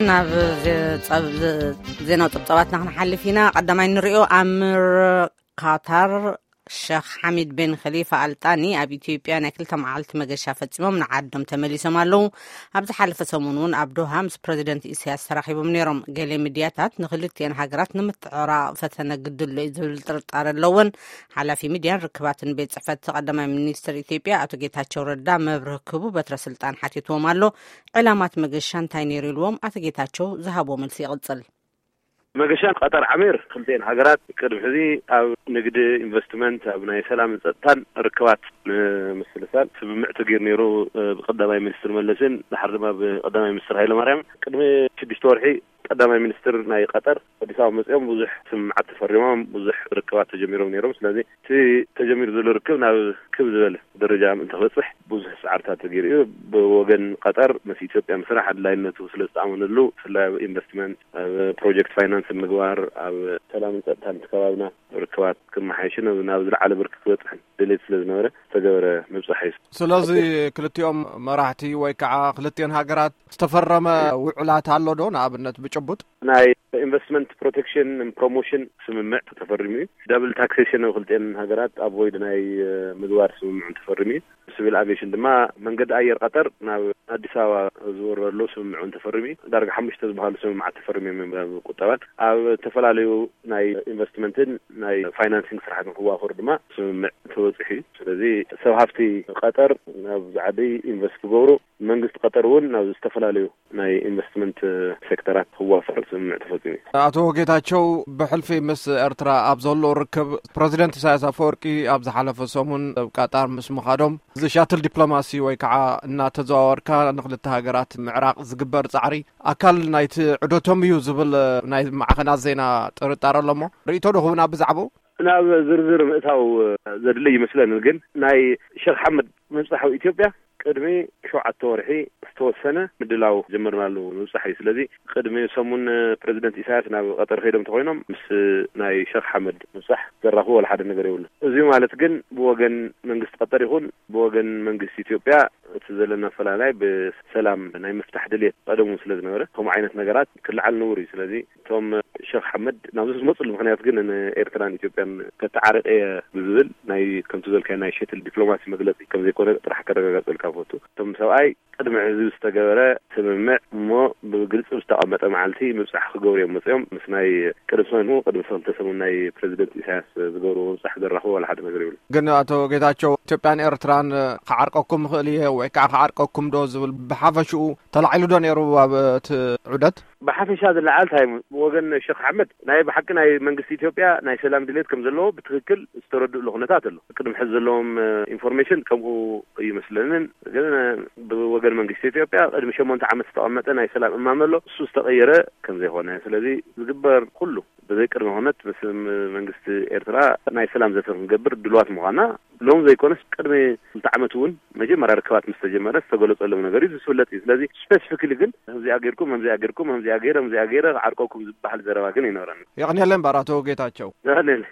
ናብ ዜ-፣ ጸብ-፣ ዜናው ጸብጻባትና ክንሓልፍ ኢና። ቀዳማይ ንሪኦ፣ ኣምር ቃታር ሸኽ ሓሚድ ቤን ኸሊፋ ኣልጣኒ ኣብ ኢትዮጵያ ናይ ክልተ መዓልቲ መገሻ ፈጺሞም ንዓዶም ተመሊሶም ኣለዉ። ኣብ ዝሓለፈ ሰሙን እውን ኣብ ዶሃ ምስ ፕረዚደንት ኢሳያስ ተራኺቦም ነይሮም። ገለ ሚድያታት ንክልቲኤን ሃገራት ንምትዕራቕ ፈተነ ግድሎ እዩ ዝብል ጥርጣረ ኣለወን። ሓላፊ ሚድያን ርክባትን ቤት ጽሕፈት ቀዳማይ ሚኒስትር ኢትዮጵያ ኣቶ ጌታቸው ረዳ መብርህ ክህቡ በትረ ስልጣን ሓቲትዎም ኣሎ። ዕላማት መገሻ እንታይ ነይሩ ኢልዎም ኣቶ ጌታቸው ዝሃብዎ መልሲ ይቕጽል። መገሻ ቀጠር ዓሚር ክልቲኤን ሃገራት ቅድሚ ሕዚ ኣብ ንግዲ፣ ኢንቨስትመንት፣ ኣብ ናይ ሰላምን ጸጥታን ርክባት ንምስልሳል ስምምዕ ተገይሩ ነይሩ፣ እ፣ ብቀዳማይ ሚኒስትር መለስን ድሓር ድማ ብቀዳማይ ሚኒስትር ሃይለማርያም። ቅድሚ ሽዱሽተ ወርሒ ቀዳማይ ሚኒስትር ናይ ቀጠር ኣዲስ ኣበባ መጺኦም ብዙሕ ስምምዓት ተፈሪሞም፣ ብዙሕ ርክባት ተጀሚሮም ነይሮም። ስለዚ እቲ ተጀሚሩ ዘሎ ርክብ ናብ ክብ ዝበለ ደረጃ ምእንቲ ክበጽሕ ብዙሕ ጻዕርታት ተገይሩ እዩ። ብወገን ቀጠር ምስ ኢትዮጵያ ምስራሕ ኣድላይነቱ ስለ ዝተኣመነሉ፣ ብፍላይ ኣብ ኢንቨስትመንት፣ ኣብ ፕሮጀክት ፋይናንስ ምግባር፣ ኣብ ሰላምን ጸጥታን እቲ ከባብና ርክባት ክመሓየሽን ናብ ዝለዓለ ብርኪ ክበጽሕን ድሌት ስለ ዝነበረ ዝተገበረ ምብጻሕ እዩ። ስለዚ ክልቲኦም መራሕቲ ወይ ከዓ ክልቲኦን ሃገራት ዝተፈረመ ውዕላት ኣሎ ዶ? ንኣብነት ብጭቡጥ ናይ ኢንቨስትመንት ፕሮቴክሽን ፕሮሞሽን ስምምዕ ተፈሪሙ እዩ። ዳብል ታክሴሽን ኣብ ክልቲኤን ሃገራት ኣቮይድ ናይ፣ እ፣ ምግባር ስምምዕ ተፈሪሙ እዩ። ሲቪል ኣቪዬሽን ድማ መንገዲ ኣየር ቀጠር ናብ ኣዲስ ኣበባ ዝወረሉ ስምምዕ እውን ተፈሪሙ እዩ። ዳርጋ ሓሙሽተ ዝበሃሉ ስምምዓት ተፈሪሙ እዮም። ኣብ ቁጠባን ኣብ ዝተፈላለዩ ናይ ኢንቨስትመንትን ናይ ፋይናንሲንግ ስራሕትን ክዋፈሩ ድማ ስምምዕ ተበፂሑ እዩ። ስለዚ ሰብ ሃፍቲ ቀጠር ናብዚ ዓዲ ኢንቨስት ክገብሩ፣ መንግስቲ ቀጠር እውን ናብ ዝተፈላለዩ ናይ ኢንቨስትመንት ሴክተራት ክዋፈር ስምምዕ ተፈፂሙ እዩ። ኣቶ ጌታቸው፣ ብሕልፊ ምስ ኤርትራ ኣብ ዘሎ ርክብ፣ ፕረዚደንት ኢሳያስ ኣፈወርቂ ኣብ ዝሓለፈ ሰሙን ኣብ ቃጣር ምስ ምኻዶም፣ እዚ ሻትል ዲፕሎማሲ ወይ ከዓ እናተዘዋወርካ ንክልተ ሃገራት ምዕራቕ ዝግበር ጻዕሪ ኣካል ናይቲ ዑደቶም እዩ ዝብል ናይ ማዕኸናት ዜና ጥርጣረ ኣሎ። እሞ ርእይቶ ዶ ክህቡና ብዛዕባኡ? ናብ ዝርዝር ምእታው ዘድሊ ይመስለኒ፣ ግን ናይ ሸኽ ሓመድ ምብጻሕ ኣብ ኢትዮጵያ ቅድሚ ሸውዓተ ወርሒ ዝተወሰነ ምድላው ጀመርናሉ ምብጻሕ እዩ። ስለዚ ቅድሚ ሰሙን ፕረዚደንት ኢሳያስ ናብ ቀጠር ከይዶም ተኮይኖም ምስ ናይ ሸኽ ሓመድ ምብጻሕ ዘራኽቦ ወላ ሓደ ነገር የብሉ። እዚ ማለት ግን ብወገን መንግስቲ ቀጠር ይኹን ብወገን መንግስቲ ኢትዮጵያ እቲ ዘለና ፈላላይ ብሰላም ናይ ምፍታሕ ድልየት ቀደሙ ስለ ዝነበረ፣ ከምኡ ዓይነት ነገራት ክለዓል ንቡር እዩ። ስለዚ እቶም ሸኽ ሓመድ ናብዚ ዝመፅሉ ምኽንያት ግን ንኤርትራን ኢትዮጵያን ከተዓርቕ እየ ብዝብል ናይ፣ ከምቲ ዝበልካዮ፣ ናይ ሸትል ዲፕሎማሲ መግለፂ ከም ዘይኮነ ጥራሕ ከረጋግፀልካ ፈቱ። እቶም ሰብኣይ ቅድሚ ሕዚ ዝተገበረ ስምምዕ እሞ ብግልፂ ዝተቐመጠ መዓልቲ ምብፃሕ ክገብሩ እዮም መፅኦም። ምስ ናይ ቅድሚ ሰሙን፣ ቅድሚ ሰለስተ ሰሙን ናይ ፕረዚደንት ኢሳያስ ዝገብርዎ ምብፃሕ ዘራኽቦ ዋላ ሓደ ነገር የብሉ። ግን ኣቶ ጌታቸው፣ ኢትዮጵያን ኤርትራን ክዓርቀኩም ይኽእል እየ ወይ ከዓ ክዓርቀኩም ዶ ዝብል ብሓፈሽኡ ተላዒሉ ዶ ነይሩ ኣብ እቲ ዑደት? ብሓፈሻ ዝለዓል እንታይ እዩ? ብወገን ሸኽ ኣሕመድ ናይ ብሓቂ ናይ መንግስቲ ኢትዮጵያ ናይ ሰላም ድሌት ከም ዘለዎ ብትክክል ዝተረድእሉ ኩነታት ኣሎ። ቅድሚ ሕዚ ዘለዎም፣ እ፣ ኢንፎርሜሽን ከምኡ ይመስለንን። ግን፣ እ፣ ብወገን መንግስቲ ኢትዮጵያ ቅድሚ ሸሞንተ ዓመት ዝተቐመጠ ናይ ሰላም እማመ ኣሎ። እሱ ዝተቐየረ ከም ዘይኮነ፣ ስለዚ ዝግበር ኩሉ ብዘይ ቅድመ ኩነት ምስ ም-፣ መንግስቲ ኤርትራ ናይ ሰላም ዘተ ክንገብር ድልዋት ምዃና ሎም ዘይኮነስ ቅድሚ ክልተ ዓመት እውን መጀመርያ ርክባት ምስ ተጀመረ ዝተገለጸሎም ነገር እዩ፣ ዝፍለጥ እዩ። ስለዚ ስፔሲፊክሊ ግን ከምዚኣ ጌርኩም፣ ከምዚኣ ጌርኩም፣ ከምዚኣ ጌረ፣ ከምዚኣ ጌረ ክዓርቀኩም ዝበሃል ዘረባ ግን ኣይነበረን። የቐንየለይ እምበር ኣቶ ጌታቸው። የቐንየለይ።